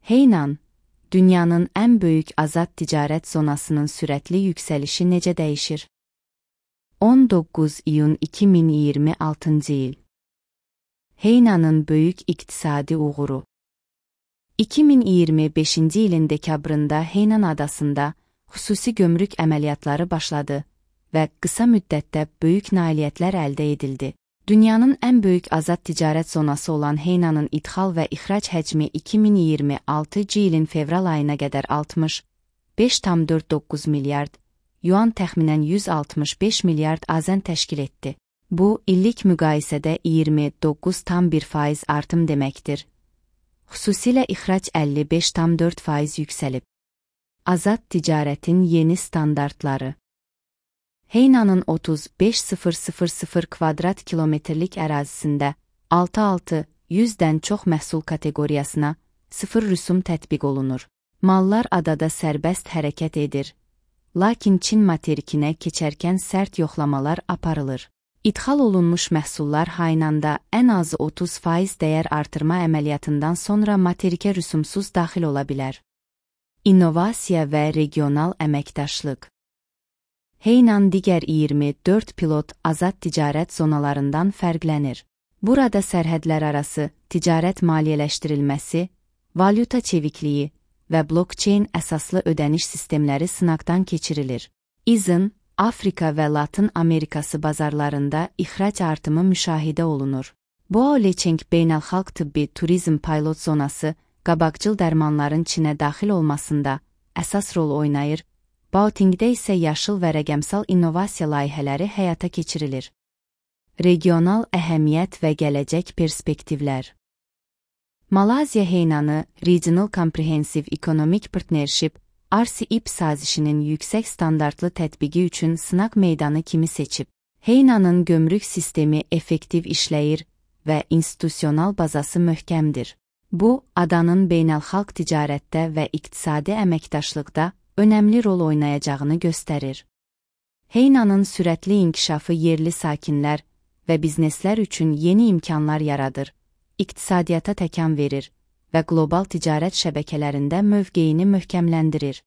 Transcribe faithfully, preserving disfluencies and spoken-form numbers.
Heynan, dünyanın ən böyük azad ticarət zonasının sürətli yüksəlişi necə dəyişir? on doqquz iyun iki min iyirmi altıncı il. Heynanın böyük iqtisadi uğuru. iki min iyirmi beşinci ilin dekabrında Heynan adasında xüsusi gömrük əməliyyatları başladı və qısa müddətdə böyük nailiyyətlər əldə edildi. Dünyanın ən böyük azad ticarət zonası olan Heynanın idxal və ixrac həcmi iki min iyirmi altıncı ilin fevral ayına qədər altmış beş tam dörd doqquz milyard yuan təxminən yüz altmış beş milyard azən təşkil etdi. Bu, illik müqayisədə iyirmi doqquz tam bir faiz artım deməkdir. Xüsusilə ixrac əlli beş tam dörd faiz yüksəlib. Azad ticarətin yeni standartları. Heynanın otuz beş min kvadrat kilometrlik ərazisində altı min altı yüzdən çox məhsul kateqoriyasına sıfır rüsum tətbiq olunur. Mallar adada sərbəst hərəkət edir. Lakin Çin materikinə keçərkən sərt yoxlamalar aparılır. İdxal olunmuş məhsullar Heynanda ən azı otuz faiz dəyər artırma əməliyyatından sonra materikə rüsumsuz daxil ola bilər. İnnovasiya və regional əməkdaşlıq. Heynan digər iyirmi dörd pilot azad ticarət zonalarından fərqlənir. Burada sərhədlər arası ticarət maliyyələşdirilməsi, valyuta çevikliyi və blockchain əsaslı ödəniş sistemləri sınaqdan keçirilir. İzin, Afrika və Latın Amerikası bazarlarında ixrac artımı müşahidə olunur. Boao-Lecheng beynəlxalq tibbi turizm pilot zonası qabaqcıl dərmanların Çinə daxil olmasında əsas rol oynayır, Baotingdə isə yaşıl və rəqəmsal innovasiya layihələri həyata keçirilir. Regional əhəmiyyət və gələcək perspektivlər. Malayziya Heynanı Regional Comprehensive Economic Partnership R C E P sazişinin yüksək standartlı tətbiqi üçün sınaq meydanı kimi seçib. Heynanın gömrük sistemi effektiv işləyir və institusional bazası möhkəmdir. Bu, adanın beynəlxalq ticarətdə və iqtisadi əməkdaşlıqda önəmli rol oynayacağını göstərir. Heynanın sürətli inkişafı yerli sakinlər və bizneslər üçün yeni imkanlar yaradır, iqtisadiyyata təkan verir və qlobal ticarət şəbəkələrində mövqeyini möhkəmləndirir.